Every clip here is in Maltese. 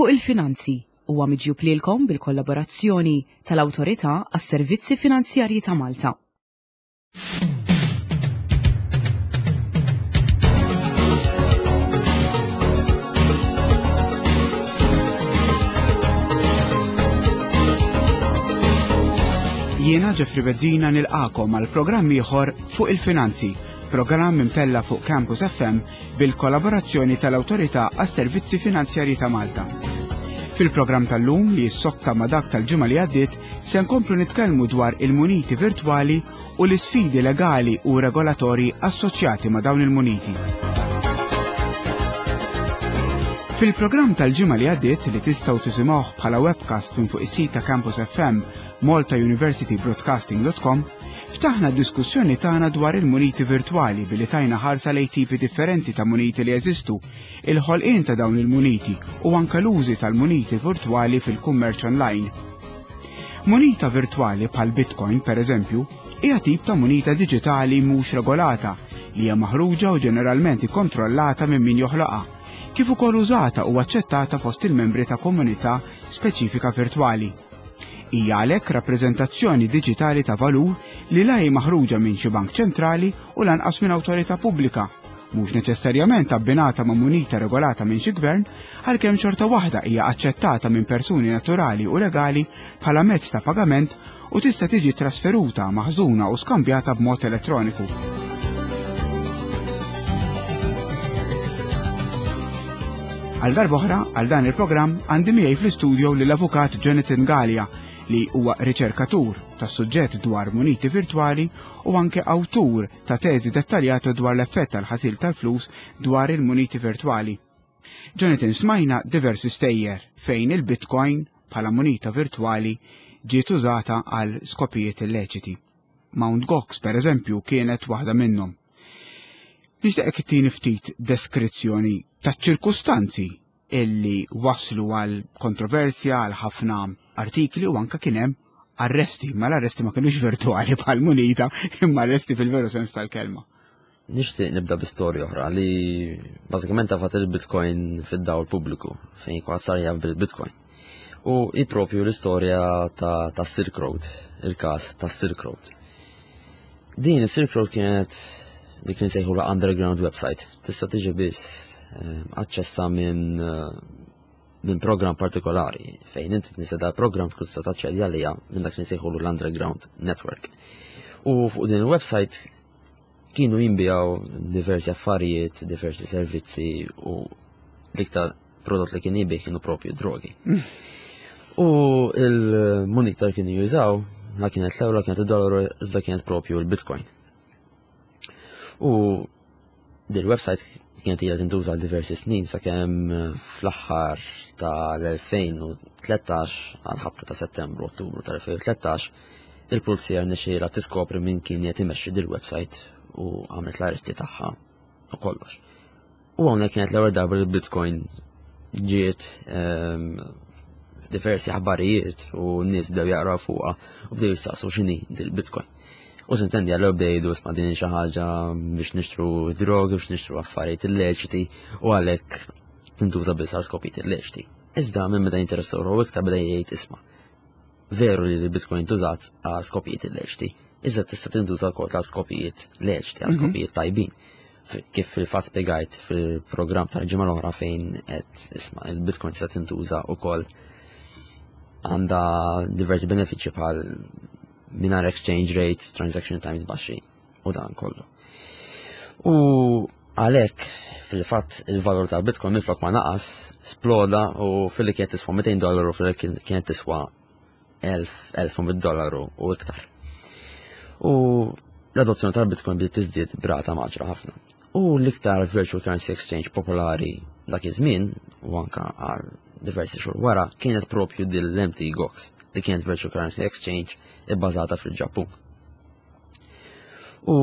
Fuq il-Finanzi huwa miġjub lilkom bil-kollaborazzjoni tal-Awtorità għas-Servizzi Finanzjarji ta' Malta. Jiena Jeffrey Bezzina nilqakom għal programm ieħor fuq il-finanzi, programm imtella fuq Campus FM bil-kollaborazzjoni tal-Awtorità għas-Servizzi Finanzjarji ta' Malta. Fil-programm tal-lum li jissokta ma' dak tal-ġimgħa li għaddiet se nkomplu nitkellmu dwar il-muniti virtwali u l-isfidi legali u regolatorji assoċjati ma' dawn il-muniti. Fil-programm tal-ġimgħa li għaddiet li tistgħu tisimgħuh bħala webcast minn fuq is-sit ta' Campus FM maltauniversitybroadcasting.com Ftaħna d-diskussjoni tagħna dwar il-muniti virtwali billi tajna ħarsa lejn tipi differenti ta' muniti li jeżistu, il-ħolqien ta' dawn il-muniti u anke l-użi tal-muniti virtwali fil-kummerċ online. Munita virtwali bħal Bitcoin, per eżempju, hija tip ta' munita diġitali mhux regolata li hija maħruġa u ġeneralment ikkontrollata minn min joħloqha, kif ukoll użata u aċċettata fost il-membri ta' komunità speċifika virtwali. Hija għalhekk rappreżentazzjoni diġitali ta' valur li la hi maħruġa minn xi bank ċentrali u lanqas minn awtorità pubblika, mhux neċessarjament abbinata ma' munita regolata minn xi gvern, għalkemm xorta waħda hija aċċettata minn persuni naturali u legali bħala mezz ta' pagament u tista' tiġi trasferuta, maħżuna u skambjata b'mod elettroniku. Għal darb'oħra, għal dan il-programm, għandi miegħi fl-istudio lill-Avukat Jonathan Galea li huwa riċerkatur tas suġġett dwar muniti virtwali u anke awtur ta' teżi dettaljata dwar l-effett tal-ħasil tal-flus dwar il-muniti virtwali. Jonathan smajna diversi stejjer fejn il-Bitcoin bħala munita virtwali ġiet użata għal skopijiet illeċiti. Mount Gox, per eżempju, kienet waħda minnhom. Nixtieqek ittini ftit deskrizzjoni taċ-ċirkustanzi illi waslu għal kontroversja, għal ħafna artikli u anka kien hemm arresti, ma l-arresti ma kienux virtuali bħal munita, imma arresti fil-veru sens tal-kelma. Nixtieq nibda bi storja oħra li bażikament tafat il-Bitcoin fid-dawl pubbliku fejn kulħadd sar jaf bil-Bitcoin. U hi propju l-istorja ta', ta Silk Road, il-każ ta' Silk Road. Din is-Silk Road kienet dik li nsejħu la underground website. Tista' tiġi biss eh, aċċessa minn eh, minn program partikolari fejn inti tnisa dal program tkun tista' taċċedi għalija minn dak li nsejħu l-underground network. U fuq din il-website kienu jinbijaw diversi affarijiet, diversi servizzi u l-iktar prodott li kien jibih kienu propju drogi. U il-munita kienu jużaw, la kienet l-euro, la kienet id-dollaru, iżda kienet propju l-bitcoin. U din website kienet ilha tintuża għal diversi snin sakemm fl-aħħar tal-2013 għal ħabta ta' Settembru Ottubru tal-2013 il-pulizija rnexxielha tiskopri min kien qed imexxi dil-website u għamlet l-arresti tagħha u kollox. U hawnhekk kienet l-ewwel darba li Bitcoin ġiet ehm, f'diversi aħbarijiet u n-nies bdew jaqraw fuqha u bdew jistaqsu x'inhi dil-Bitcoin. U sintendi għallu bdew jgħidu isma' din xi ħaġa biex nixtru drogi, biex nixtru affarijiet illeċiti u għalhekk tintuża biss għal skopijiet illeċiti. Iżda minn meta jinteressaw ruħu iktar beda jgħid isma' Veru li l-Bitcoin tużat għal skopijiet illeċiti, iżda tista' tintuża wkoll għal skopijiet leċiti, għal mhm. skopijiet tajbin. Kif fil-fatt spjegajt fil-programm tal-ġimgħa l-oħra fejn qed isma' il-Bitcoin tista' tintuża wkoll għandha diversi benefiċċji bħal mingħajr exchange rates, transaction times baxxi u dan kollu. U għalhekk fil-fatt il-valur tal-Bitcoin minflok ma naqas sploda u fil-li kienet tiswa 200 dollaru fil-li kienet tiswa 1000 dollaru u iktar. U l-adozzjoni tal-Bitcoin bdiet tiżdied brata maġra ħafna. U l-iktar virtual currency exchange popolari dak iż-żmien u anka għal diversi xhur wara kienet propju din l-MT Gox li kienet virtual currency exchange ibbażata fil-Ġappun. U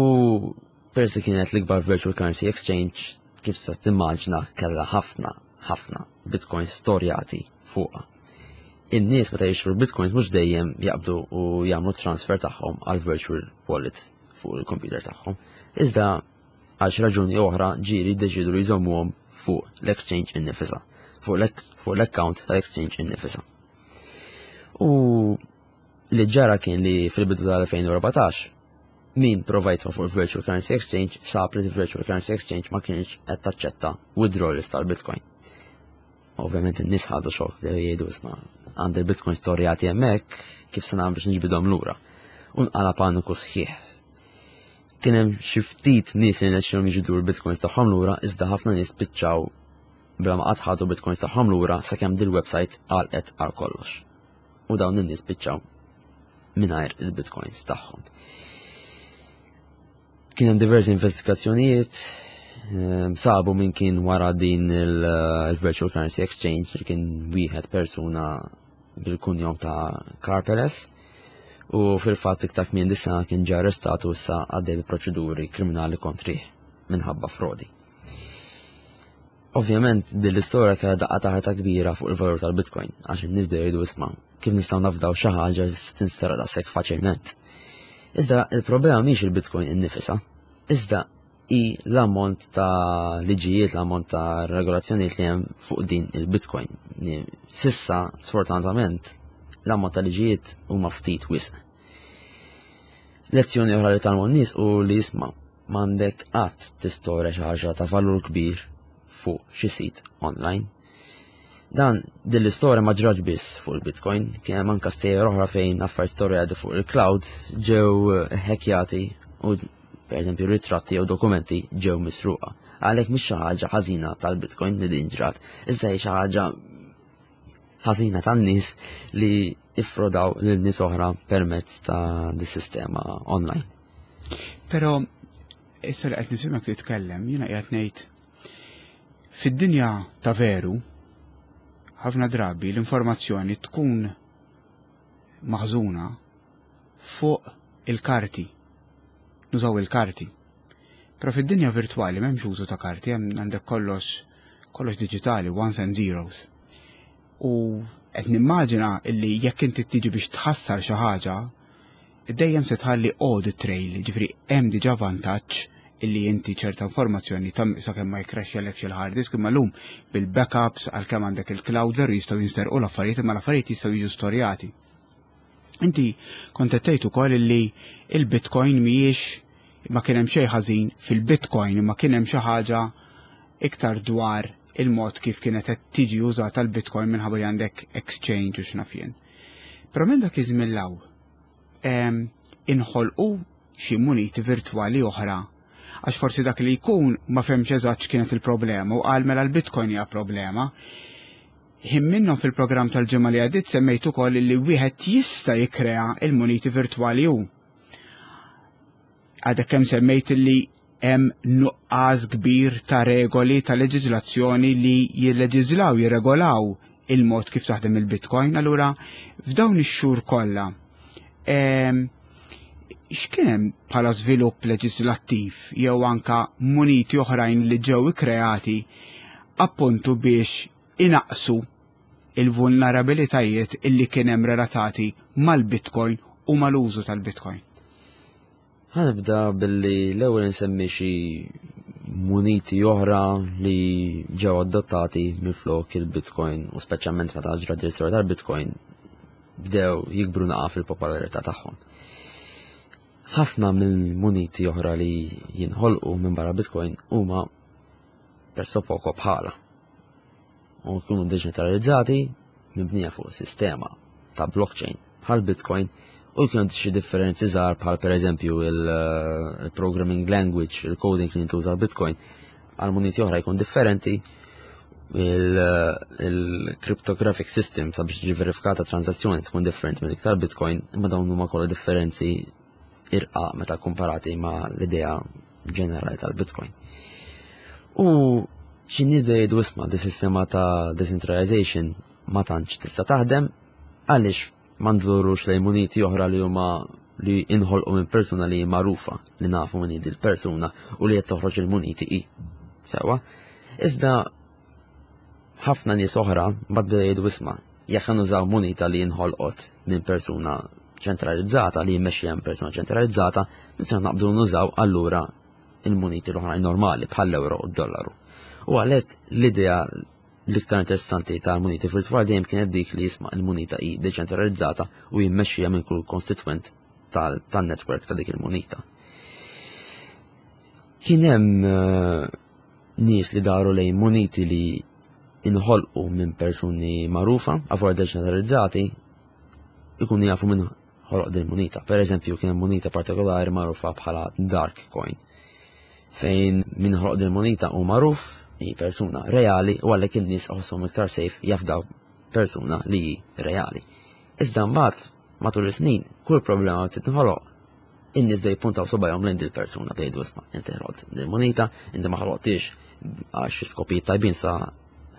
peress li kienet l-ikbar virtual currency exchange, kif sa timmaġna kellha ħafna, ħafna bitcoins storjati fuqha. In-nies meta jixtru bitcoins mhux dejjem jaqbdu u jagħmlu transfer tagħhom għal virtual wallet fuq il-computer tagħhom. Iżda għal xi raġuni oħra ġieli jiddeċiedu li jżommuhom fuq l-exchange innifisha. fuq l-account tal-exchange innifisha. U li ġara kien li fil-bidu tal-2014 min prova jitfa' fuq il-Virtual Currency Exchange sab li il-Virtual Currency Exchange ma kienx qed taċċetta withdrawals tal-Bitcoin. Ovvjament in-nies ħadu xokk li jgħidu isma' għandi l-Bitcoin storjati hemmhekk kif se nagħmel biex niġbidhom lura. U nqala paniku sħiħ. Kien hemm xi ftit nies li nexxihom jiġbdu l-Bitcoins tagħhom lura iżda ħafna nies spiċċaw bla ma qatt ħadu Bitcoins tagħhom lura sakemm dil-website għalqet għal kollox. U dawn in-nies spiċċaw mingħajr il-bitcoins tagħhom. Kien hemm diversi investigazzjonijiet, sabu min kien wara din il-Virtual Currency Exchange li kien wieħed persuna bil-kunjom ta' Karpeles u fil-fatt iktar kmien dis-sena kien ġie arrestat u issa għaddej bi proċeduri kriminali kontrih minħabba frodi. Ovvjament din l-istorja kellha daqqa ta' ħarta kbira fuq il-valur tal-Bitcoin għax in-nies bdew jgħidu isma' kif nistgħu nafdaw xi ħaġa li tinstera daqshekk faċilment. Iżda il-problema mhix il-Bitcoin innifisha, iżda hi l-ammont ta' liġijiet, l-ammont ta' regolazzjonijiet li hemm fuq din il-Bitcoin. Sissa, sfortunatament, l-ammont ta' liġijiet huma ftit wisq. Lezzjoni oħra li tgħallmu n-nies u li jisma' m'għandek qatt tistorja xi ħaġa ta' valur kbir fuq xi sit online. Dan din l-istorja ma ġraġ biss fuq il-Bitcoin, kien hemm anke stejjer oħra fejn affarijiet storjati fuq il-cloud ġew ħekjati u pereżempju ritratti jew dokumenti ġew misruqa. Għalhekk mhix xi ħaġa ħażina tal-Bitcoin li din ġrat, iżda hi xi ħaġa ħażina tan-nies li iffrodaw lil nies oħra permezz ta' dis-sistema online. Però issa li qed nisimgħek titkellem, jiena qiegħed ngħid fid-dinja ta' veru ħafna drabi l-informazzjoni tkun maħżuna fuq il-karti. Nużaw il-karti. Però fid-dinja virtwali m'hemmx użu ta' karti, hemm għandek kollox kollox diġitali, ones and zeros. U qed nimmaġina illi jekk inti tiġi biex tħassar xi ħaġa, dejjem se tħalli audit trail, ġifieri hemm diġà vantaġġ illi inti ċerta informazzjoni ta' sakemm ma jkrexxelekx il-hard disk imma llum bil-backups għalkemm għandek il-cloud veru jistgħu jinsterqu l-affarijiet imma l-affarijiet jistgħu jiġu storjati. Inti kont qed tgħid ukoll illi il-Bitcoin mhijiex ma kien hemm xejn ħażin fil-Bitcoin imma kien hemm xi ħaġa iktar dwar il-mod kif kienet qed tiġi użata l-Bitcoin minħabba li għandek exchange u x'naf jien. Però minn dak iż-żmien 'l hawn inħolqu xi muniti virtwali oħra għax forsi dak li jkun ma fehmx eżatt x'kienet il-problema u qal mela l-Bitcoin hija problema. Ħin minnhom fil-programm tal-ġimgħa li għaddiet semmejt ukoll li wieħed jista' jikkrea il-muniti virtwali hu. Għadek kemm semmejt li hemm nuqqas kbir ta' regoli ta' leġiżlazzjoni li jilleġiżlaw, jirregolaw il-mod kif taħdem il-Bitcoin. Allura f'dawn ix-xhur kollha ehm, x'kien hemm bħala żvilupp leġislattiv jew anka muniti oħrajn li ġew ikkreati appuntu biex inaqsu il-vulnerabilitajiet illi kien hemm relatati mal-Bitcoin u mal-użu tal-Bitcoin. Ħanibda billi l-ewwel insemmi xi muniti oħra li ġew adottati minflok il-Bitcoin u speċjalment meta ġrat l-istorja tal-Bitcoin bdew jikbru naqa fil-popolarità tagħhom. Ħafna mill-muniti oħra li jinħolqu minn barra Bitcoin huma presso poco bħala. U jkunu deċentralizzati mibnija fuq sistema ta' blockchain bħal Bitcoin u jkun xi differenzi żgħar bħal pereżempju il-programming language, il-coding li jintuża Bitcoin għal muniti oħra jkun differenti il-cryptographic system sabiex tiġi verifikata transazzjoni tkun differenti minn iktar Bitcoin, imma dawn huma kollha differenzi irqa meta komparati ma' l-idea ġenerali tal-Bitcoin. U xi nies jgħidu isma' di sistema ta' decentralization ma tantx tista' taħdem għaliex ma ndurux lejn muniti oħra li huma li inħolqu minn persuna li magħrufa li nafu minn hi persuna u li qed toħroġ il-muniti hi. Sewa. Iżda ħafna nies oħra mbagħad bdew jgħidu isma' jekk nużaw munita li inħolqot minn persuna ċentralizzata li jmexxi hemm persuna ċentralizzata, nistgħu naqbdu nużaw allura il-muniti l-oħrajn normali bħall-euro u d-dollaru. U għalhekk l-idea L-iktar interessanti tal-muniti virtwali dejjem kienet dik li jisma' il-munita hi deċentralizzata u jimmexxija minn kull konstitwent tan-network ta' dik il-munita. Kien hemm eh, nies li daru lejn muniti li inħolqu minn persuni magħrufa, avular deċentralizzati, ikunu jafu minn ħoloq din munita. Per eżempju, kien hemm munita partikolari magħrufa bħala Dark Coin, fejn min ħoloq din munita hu magħruf, hi persuna reali u għalhekk in-nies iħossuhom iktar safe jafdaw persuna li hi reali. Iżda mbagħad matul is-snin kull problema titħoloq in-nies bej puntaw subajhom lejn dil-persuna bejn isma' inti ħloqt din munita, inti ma ħloqtix għal xi skopijiet tajbin sa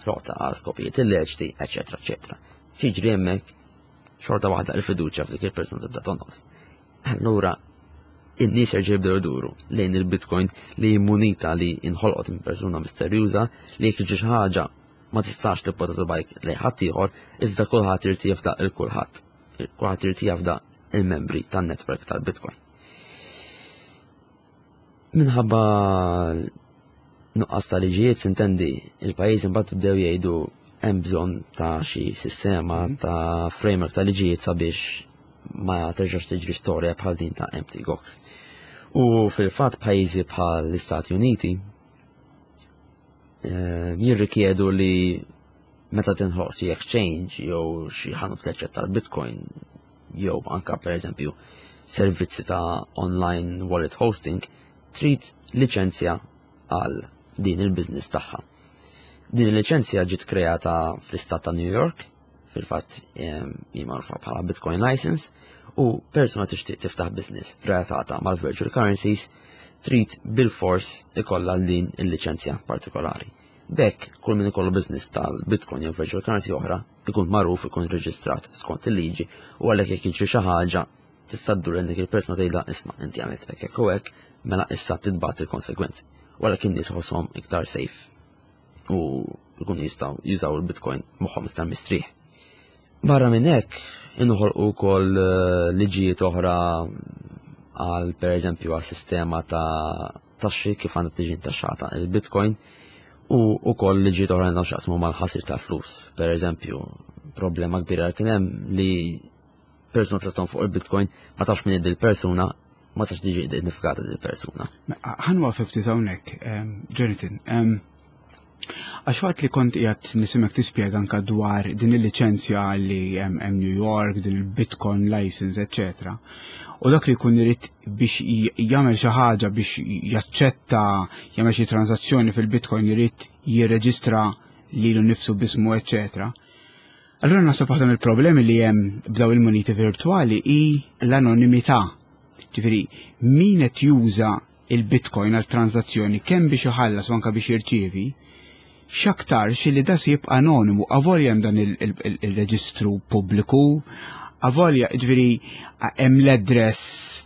ħloqta għal skopijiet illeċti, eċetera, eċetera. Xiġri hemmhekk xorta waħda il-fiduċja f'dik il-persuna tibda tonqos. Allura in-nies jerġgħu jibdew iduru lejn il-Bitcoin li munita li inħolqot minn persuna misterjuża li jekk jiġi xi ħaġa ma tistax tippota subajk lejn ħadd ieħor, iżda kulħadd irid jafda il kulħadd. Kulħadd irid jafda il-membri tan-network tal-Bitcoin. Minħabba nuqqas ta' liġijiet sintendi il-pajjiż imbagħad bdew jgħidu hemm bżonn ta' xi sistema mhm. ta' framework ta' liġijiet sabiex ma terġax tiġri storja bħal din ta' Empty Gox. U fil-fatt pajjiżi bħal l-Istati Uniti eh, jirrikjedu li meta tinħloq xi exchange jew xi ħanut li tal-Bitcoin jew anka pereżempju servizzi ta' online wallet hosting, trid liċenzja għal din il-business tagħha. Din il-liċenzja ġiet kreata fl-istat ta' New York, fil-fatt hi magħrufa bħala Bitcoin license, u persuna tixtieq tiftaħ business relatata mal-virtual currencies trid bil-fors ikollha din il-liċenzja partikolari. B'hekk, kull min ikollu business tal-Bitcoin jew virtual currency oħra ikun magħruf, ikun reġistrat skont il-liġi u għalhekk jekk jiġri xi ħaġa tista' ddur lejn dik il-persuna tgħidha isma' inti għamilt hekk hekk u hekk, mela issa titbagħat il-konsegwenzi. U għalhekk in-nies iħosshom iktar safe u jkunu jistgħu jużaw il-Bitcoin moħħhom iktar mistrieħ. Barra minn hekk, inħolqu wkoll eh, liġijiet oħra għal pereżempju għal sistema ta' taxxi kif għandha tiġi ntaxxata il-Bitcoin u wkoll liġijiet oħra għandhom x'jaqsmu mal-ħasir ta' flus. Pereżempju, problema kbira kien hemm li persuna tista' fuq il-Bitcoin ma tafx min il-persuna ma tafx tiġi identifikata il persuna. Ħanwa ftit hawnhekk, ehm, Jonathan. Ehm, Għax waqt li kont qiegħed nisimek tispjega anka dwar din il-liċenzja li hemm New York, din il-Bitcoin license, eccetera. U dak li jkun irid biex jagħmel xi ħaġa biex jaċċetta jagħmel xi transazzjoni fil-Bitcoin irid jirreġistra lilu nnifsu bismu, eccetera. Allura naħseb waħda mill-problemi li hemm b'daw il-muniti virtwali hi l-anonimità. Ġifieri, min qed juża il-Bitcoin għal transazzjoni kemm biex iħallas u anke biex jirċievi, x'aktarx li da se jibqa' anonimu avolja hemm dan il-reġistru pubbliku, avolja ġifieri hemm l-address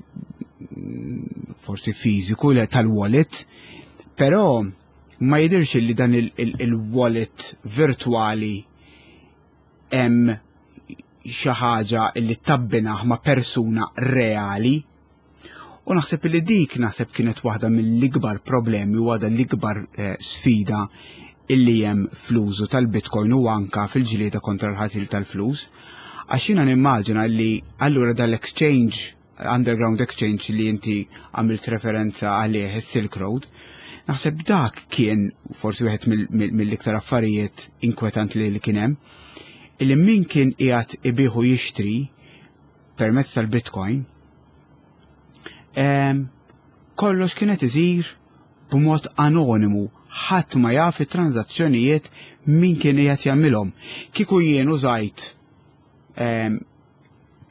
mm, forsi fiżiku tal-wallet, però ma jidirx li dan il-wallet virtuali hemm xi ħaġa li tabbinaħ ma' persuna reali. U naħseb li dik naħseb kienet waħda mill-ikbar problemi u waħda l-ikbar eh, sfida illi hemm fl-użu tal-Bitcoin u anka fil-ġlieda kontra l-ħasil tal-flus. Għax jiena nimmaġina li allura dal-exchange, underground exchange li inti għamilt referenza għalih is-Silk Road, naħseb dak kien forsi wieħed mill-iktar affarijiet inkwetant li kien hemm, illi min kien qiegħed ibiħu jixtri permezz tal-Bitcoin, kollox kienet iżir b'mod anonimu, ħadd ma jaf it-tranzazzjonijiet min kien qiegħed jagħmilhom. Kieku jien użajt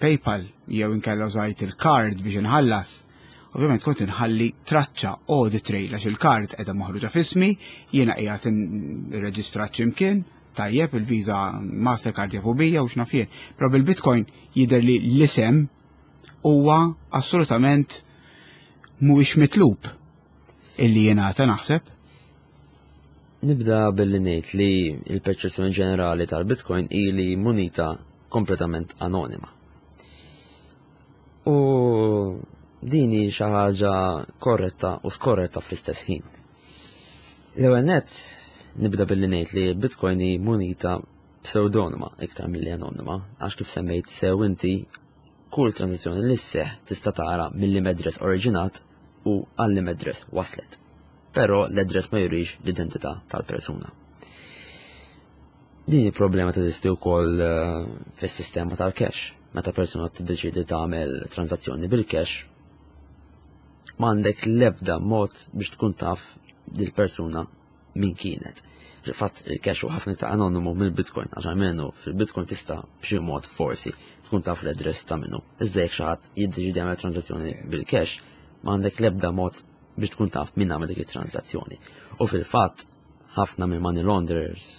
PayPal jew inkella użajt il-card biex inħallas, ovvjament kont inħalli traċċa audit trail għax il-card qiegħda maħruġa f'ismi, jiena qiegħed irreġistrat x'imkien, tajjeb il-Visa Mastercard jafu bija u x'naf jien. Però bil-Bitcoin jidher li l-isem huwa assolutament mhuwiex mitlub illi jingħata naħseb. Nibda billi ngħid li l-perċezzjoni ġenerali tal-Bitcoin hi li munita kompletament anonima. U din hi xi ħaġa korretta u skorretta fl-istess ħin. L-ewwel nett Nibda billi ngħid li Bitcoin hi munita pseudonima iktar milli anonima, għax kif semmejt sew inti kull transazzjoni li sseħħ tista' tara mill address oriġinat u għall address waslet. Però l-address ma jurix l-identità tal-persuna. Din il-problema teżisti wkoll eh, fis-sistema tal-cash. Meta persuna tiddeċiedi tagħmel transazzjoni bil-cash, m'għandek l-ebda mod biex tkun taf dil-persuna min kienet. Fil-fatt il-cash u ħafna ta' anonimu mill-Bitcoin, għax almenu fil-Bitcoin tista' b'xi mod forsi tkun taf l-address ta' minnu. Iżda jekk xi ħadd jiddeċidi jagħmel transazzjoni bil-cash, m'għandek l-ebda mod biex tkun taf min għamel dik it-transazzjoni. U fil-fatt ħafna mill money launderers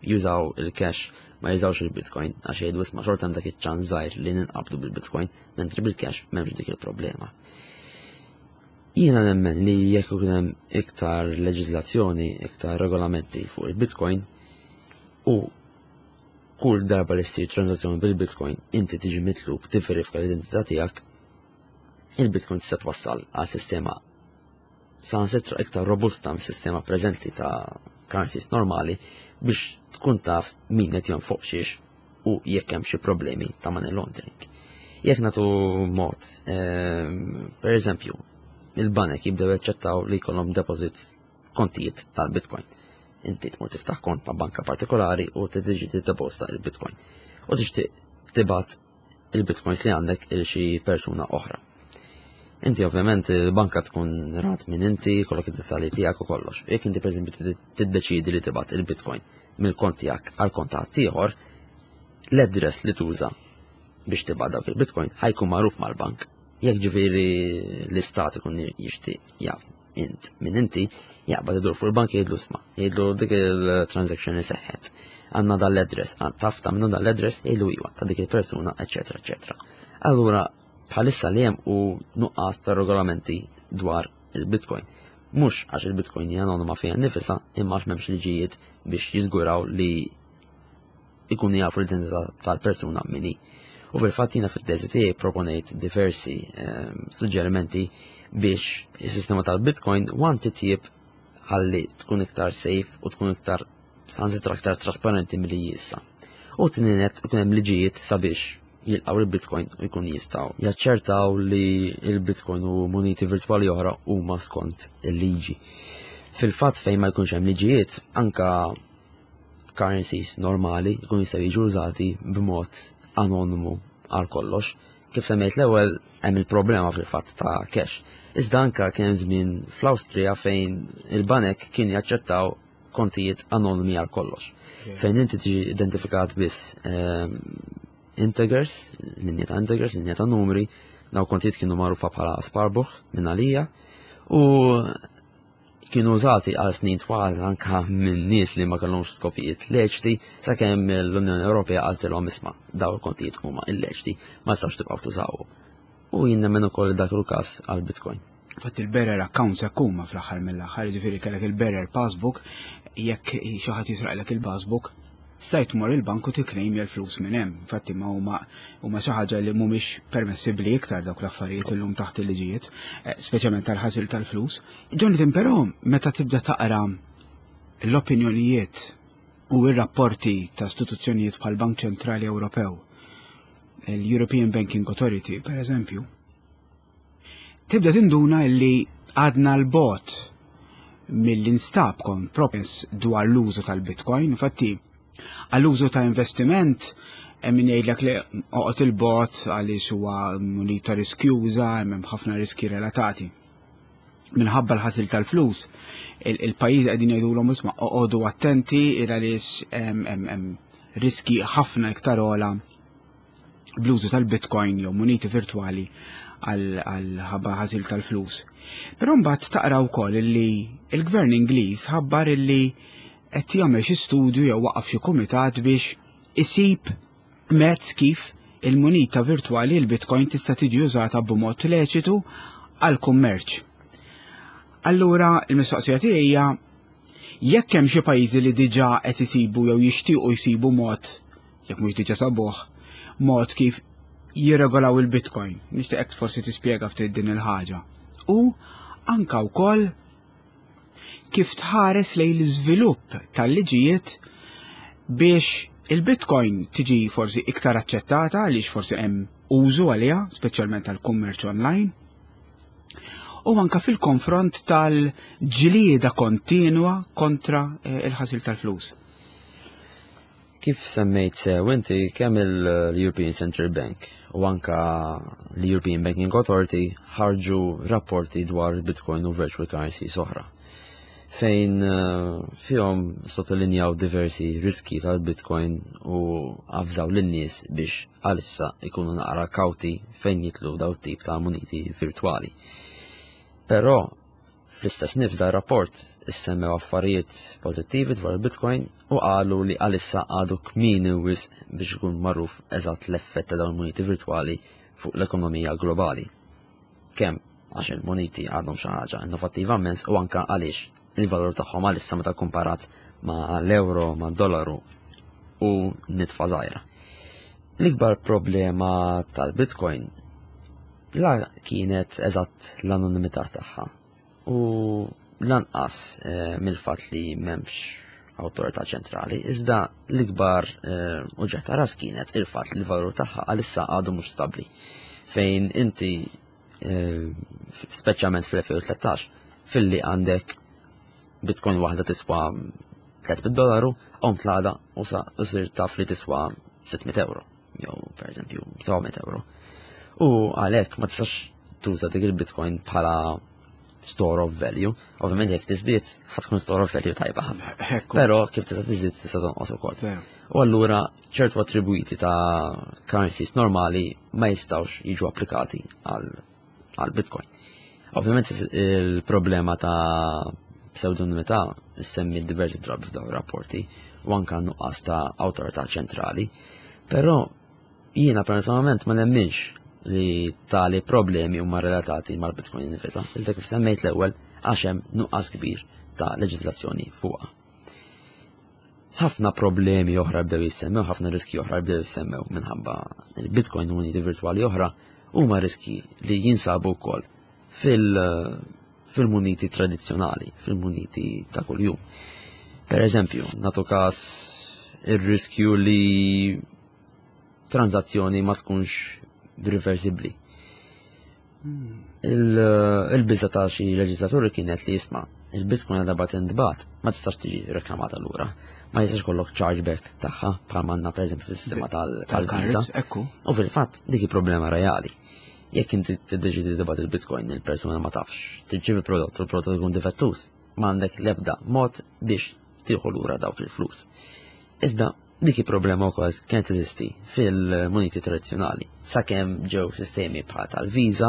jużaw il-cash ma jużawx il-Bitcoin għax jgħidu isma' xorta hemm dak iċ-ċans żgħir li ninqabdu bil-Bitcoin, mentri bil-cash m'hemmx dik il-problema. Jiena nemmen li jekk ikun hemm iktar leġiżlazzjoni, iktar regolamenti fuq il-Bitcoin u kull darba li ssir transazzjoni bil-Bitcoin inti tiġi mitlub tivverifika l-identità tiegħek, il-Bitcoin tista' twassal għal sistema saħansitra iktar robusta mis-sistema preżenti ta' currencies normali biex tkun taf min qed jonfoq xiex u jekk hemm xi problemi ta' money laundering. Jekk nagħtu mod, ehm, per eżempju, il-banek jibdew jaċċettaw li jkollhom deposits kontijiet tal-Bitcoin. Inti tmur tiftaħ kont ma' banka partikolari u tiġi tiddeposta il-Bitcoin. U tixtieq tibgħat il-bitcoins li għandek il xi persuna oħra. Inti ovvjament il-banka tkun rat minn inti, kollok id-dettalji tiegħek u kollox. Jekk inti pereżempju tiddeċidi li tibgħat il-bitcoin mill-kont tiegħek għal kont ta' ieħor, l-address li tuża biex tibgħat dawk il-bitcoin ħajkun magħruf mal-bank. Jekk ġifieri l-istat ikun jixtieq jaf int minn inti jaqbad idur fuq il-bank jgħidlu sma, jgħidlu dik il-transaction li seħħet. Għandna dal-address, taf ta' minnu dal-address jgħidlu iwa ta' dik il-persuna, eċetera, eċetera. Allura bħalissa li hemm u nuqqas ta' regolamenti dwar il-Bitcoin. Mhux għax il-Bitcoin hija anonima fiha nifisha, imma għax m'hemmx liġijiet biex jiżguraw li ikunu jafu l-identità tal-persuna min hi. U fil-fatt jiena fit-teżi tiegħi proponejt diversi ehm, suġġerimenti biex is-sistema tal-Bitcoin wan titjib ħalli tkun iktar safe u tkun iktar sansitra iktar trasparenti milli issa. U tnienet ikun hemm liġijiet sabiex jilqaw il-Bitcoin u jkun jistgħu jaċċertaw li il-Bitcoin u muniti virtwali oħra huma skont il-liġi. Fil-fatt fejn ma jkunx hemm liġijiet, anka currencies normali jkun jistgħu jiġu użati b'mod anonimu għal kollox. Kif semmejt l-ewwel hemm il-problema fil-fatt ta' cash. Iżda anka kien żmien fl-Awstrija fejn il-banek kien jaċċettaw kontijiet anonimi għal kollox. Fejn inti tiġi identifikat biss ehm, integers, linja ta' integers, linja ta' numri, daw kontijiet kienu magħrufa bħala Sparbuch minn għalija u kienu użati għal snin twal anka minn nies li ma kellhomx skopijiet leċti sakemm l-Unjoni Ewropea qaltilhom isma' daw il-kontijiet huma illeċti ma jistgħux tibqgħu tużawhom. U jien nemmen ukoll dak il-każ għal Bitcoin. Fatt il-bearer accounts hekk huma fl-aħħar mill-aħħar, jiġifieri kellek il-bearer passbook, jekk xi ħadd jisraqlek il-passbook, stajt tmur il-bank u tikklejmja l-flus minn hemm. Infatti ma huma huma xi ħaġa li mhumiex permessibbli iktar dawk l-affarijiet illum taħt il-liġijiet, eh, speċjalment tal-ħasil tal-flus. Jonathan, però meta tibda taqra l-opinjonijiet u r-rapporti ta' istituzzjonijiet bħal Bank Ċentrali Ewropew, l-European Banking Authority, per eżempju, Tibda tinduna li għadna l-bot mill-instab kompromess dwar l-użu tal-Bitcoin. Infatti, għall-użu ta' investiment, min jgħidlek li oqgħod il-bot għaliex huwa munita riskjuża, hemm ħafna riski relatati. Minħabba l-ħasil tal-flus, il-pajjiżi qegħdin jgħidulhom isma' oqogħdu attenti il għaliex hemm riski ħafna iktar ogħla bl-użu tal-Bitcoin jew muniti virtwali għal ħabba ħasil tal-flus. Però mbagħad taqra wkoll li l-Gvern Ingliż ħabbar illi qed jagħmel xi studju jew waqaf xi kumitat biex isib mezz kif il-munita virtwali l-Bitcoin tista' tiġi użata b'mod leċitu għal kummerċ. Allura il-mistoqsija tiegħi hija jekk hemm xi pajjiżi li diġà qed isibu jew jixtiequ jsibu mod jekk mhux diġà sabuh, mod kif jirregolaw il-Bitcoin. Nixtieqek forsi tispjega ftit din il-ħaġa. U anka wkoll kif tħares lejn l-iżvilupp tal-liġijiet biex il-Bitcoin tiġi forsi iktar aċċettata għaliex forsi hemm użu għaliha, speċjalment għall-kummerċ online, u anka fil-konfront tal-ġlieda kontinwa kontra eh, il-ħasil tal-flus. Kif semmejt sew inti kemm il-European Central Bank u anka l-European Banking Authority ħarġu rapporti dwar Bitcoin u virtual currencies oħra fejn eh, fihom sottolinjaw diversi riski tal-Bitcoin u avżaw lin-nies biex għalissa ikunu naqra kawti fejn jitlu daw tip ta' muniti virtuali. Però Fl-istess nifs dar-rapport issemmew affarijiet pożittivi dwar il-Bitcoin u qalu li għalissa għadu kmieni wisq biex ikun magħruf eżatt l-effett ta' dawn il-muniti virtwali fuq l-ekonomija globali. Kemm għax il-muniti għadhom xi ħaġa innovattiva immens u anke għaliex il-valur tagħhom għalissa meta komparat ma' l-euro, ma' dollaru u nitfa żgħira. L-ikbar problema tal-Bitcoin La kienet eżatt l-anonimità tagħha u lanqas eh, mill-fatt li m'hemmx awtorità ċentrali, iżda l-ikbar eh, uġigħ ta' ras kienet il-fatt li l-valur tagħha għalissa għadu mhux stabbli. Fejn inti eh, speċjalment fl-2013 filli għandek bitcoin waħda tiswa 300 dollaru, għom tlada u sa sir taf li tiswa 600 euro. jew pereżempju 700 euro. U għalhekk ma tistax tuża dik il-Bitcoin bħala store of value. Ovvjament jekk tiżdied ħa tkun store of value tajba ħafna. Però kif tista' tiżdied tista' tonqos ukoll. U allura ċertu attribwiti ta' currencies normali ma jistgħux jiġu applikati għal Bitcoin. Ovvjament il-problema ta' pseudonimità semmi diversi drabi f'dawn rapporti u anka nuqqas ta' awtorità ċentrali. Però jiena personalment ma nemminx li tali problemi huma relatati mal-Bitcoin nifisha, iżda kif semmejt l-ewwel għax hemm nuqqas kbir ta' leġiżlazzjoni fuqha. Ħafna problemi oħra bdew jissemmew, ħafna riski oħra bdew jissemmew minħabba il-Bitcoin u muniti virtwali oħra huma riski li jinsabu wkoll fil-muniti tradizzjonali, fil-muniti ta' kuljum. Per eżempju, natu każ ir-riskju li tranzazzjoni ma tkunx reversibbli. Il-biża ta' xi leġislaturi kienet li jisma' il-Bitcoin għadha bat intbat, ma tistax tiġi reklamata lura. Ma jistax kollok chargeback tagħha bħal manna pereżempju fis-sistema tal-Visa. U fil-fatt dik problema reali. Jekk inti tiddeċidi tibgħat il-Bitcoin il-persuna ma tafx, tirċievi prodott u l-prodott ikun difettuż, m'għandek l-ebda mod biex tieħu lura dawk il-flus. Iżda Dik il-problema wkoll kienet teżisti fil-muniti tradizzjonali, sakemm ġew sistemi bħal tal-Visa,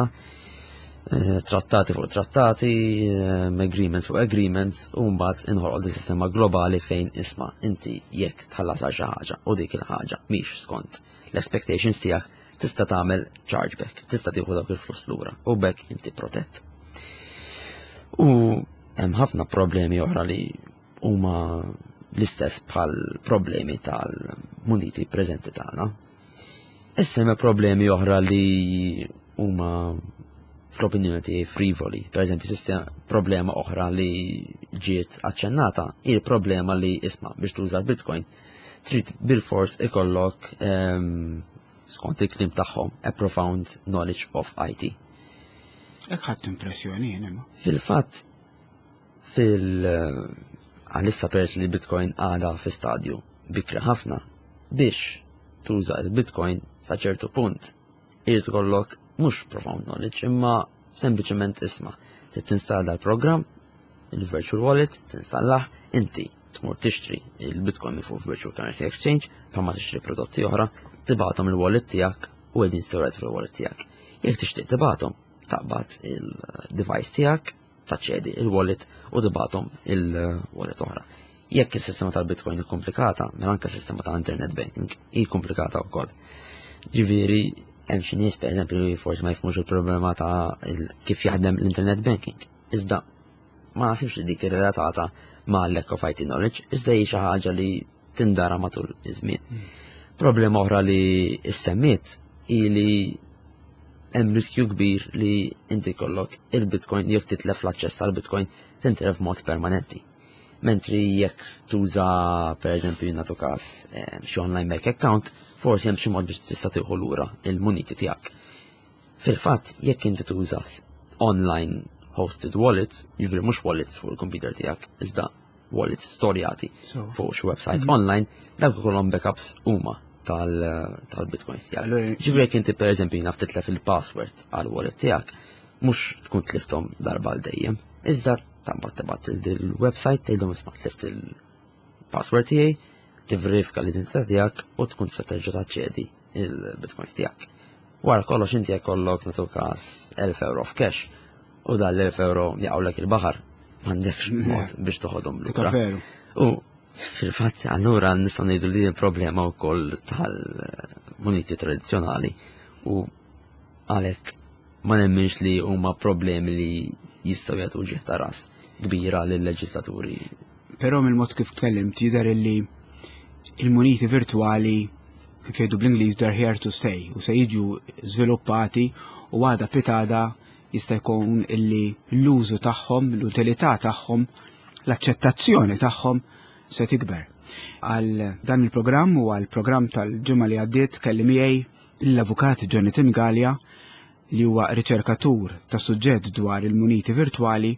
eh, trattati fuq trattati, eh, agreements fuq agreements, u mbagħad inħolqod di sistema globali fejn isma' inti jekk tħallas għal xi ħaġa u dik il-ħaġa mhix skont l-expectations tiegħek tista' tagħmel chargeback, tista' tieħu dawk il-flus lura u bekk inti protett. U hemm ħafna problemi oħra li huma l-istess bħal problemi tal-muniti preżenti tagħna. Issa hemm problemi oħra li huma fl-opinjoni tiegħi frivoli. Per eżempju, sistema problema oħra li ġiet aċċennata hi problema li isma' biex tuża l-Bitcoin trid bil-fors ikollok ehm, skont il-klim tagħhom a profound knowledge of IT. Hekk ħadd impressjoni jien imma. Fil-fatt Fil għalissa peress li Bitcoin għada fi stadju bikri ħafna biex tuża il-Bitcoin sa ċertu punt irid ikollok mhux profound knowledge imma sempliċement isma' trid tinstalla l-programm il-virtual wallet tinstallah inti tmur tixtri il-Bitcoin minn fuq Virtual Currency Exchange bħalma tixtri prodotti oħra tibgħathom il-wallet tiegħek u qegħdin stored fil-wallet tiegħek. Jekk tixtieq tibgħathom, taqbad il-device tiegħek taċċedi il-wallet u tibgħathom il-wallet oħra. Jekk is-sistema tal-Bitcoin hi komplikata, mela anke s-sistema ta' internet banking hi komplikata wkoll. Ġifieri hemm xi nies pereżempju li forsi ma jifhmux il-problema ta' kif jaħdem l-internet banking. Iżda ma naħsibx li dik irrelatata ma' lack of IT knowledge, iżda hi xi ħaġa li tindara matul iż-żmien. Problema oħra li ssemmiet hi li hemm riskju kbir li inti kollok il-Bitcoin jekk titlef l-aċċess għal Bitcoin tintilef b'mod permanenti. Mentri jekk tuża pereżempju nagħtu każ eh, xi online bank account, forsi hemm xi mod biex tista' tieħu lura il-muniti tiegħek. Fil-fatt, jekk inti tuża online hosted wallets, jiġifieri mhux wallets fuq il-computer tiegħek, iżda wallets storjati fuq xi website mhm. online, dawk ikollhom backups huma tal-bitcoins tiegħek. Ġifieri jekk inti pereżempju naf titlef il-password għal wallet tiegħek, mhux tkun tlifthom darba għal dejjem, iżda taqbad tibgħat il-website tgħidhom isma' tlift il-password tiegħi, tivverifika l-identità tiegħek u tkun tista' terġa' taċċedi il-bitcoins tiegħek. Wara kollox inti jekk kollok nagħtu każ 1000 euro f'cash u dan l-1000 euro jaqgħulek il-baħar m'għandekx mod biex toħodhom lura. U fil-fatt allura nistgħu ngħidu li problema wkoll tal-muniti tradizzjonali u għalhekk ma nemminx li huma problemi li jistgħu jagħtu ġieħ ta' ras kbira lill-leġislaturi. Però mill-mod kif tkellimt jidher illi il-muniti virtwali kif jgħidu bl-Ingliż they're here to stay u se jiġu żviluppati u għada pitada jista' jkun illi l-użu tagħhom, l-utilità tagħhom, l-aċċettazzjoni tagħhom se tikber. Għal dan il-programm u għal programm tal-ġimgħa li għaddiet kelli miegħi l-Avukat Jonathan Galea li huwa riċerkatur ta' suġġett dwar il-muniti virtwali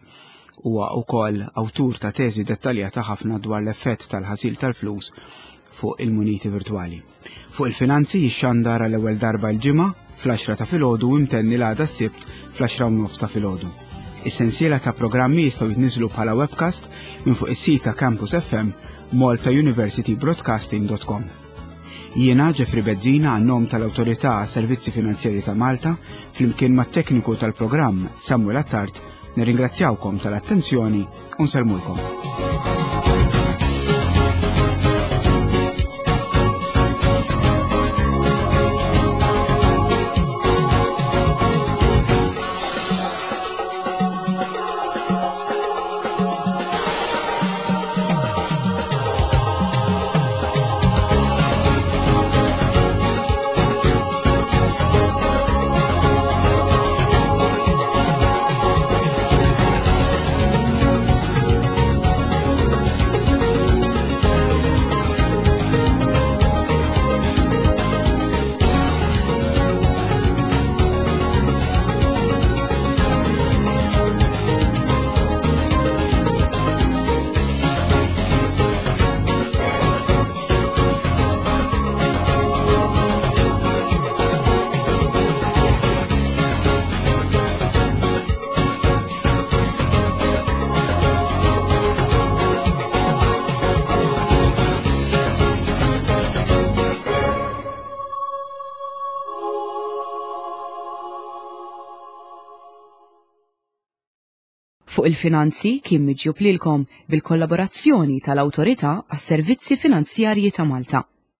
huwa wkoll awtur ta' teżi dettaljata ħafna dwar l-effett tal-ħasil tal-flus fuq il-muniti virtwali. Fuq il-finanzi jixxandar għal ewwel darba l-ġimgħa fl-10 ta' filgħodu u imtenni l-għada s-Sibt fl-10 u nofs ta' filgħodu. Is-sensiela ta' programmi jistgħu jitniżlu bħala webcast minn fuq is-sit ta' Campus FM maltauniversitybroadcasting.com. Jiena Jeffrey Bezzina għan-nom tal-Awtorità Servizzi Finanzjari ta' Malta flimkien mat-tekniku tal-programm Samuel Attard nirringrazzjawkom tal-attenzjoni u nsellmulkom. Fuq il-finanzi kien miġjub lilkom bil-kollaborazzjoni tal-Awtorità għas-Servizzi Finanzjarji ta' Malta.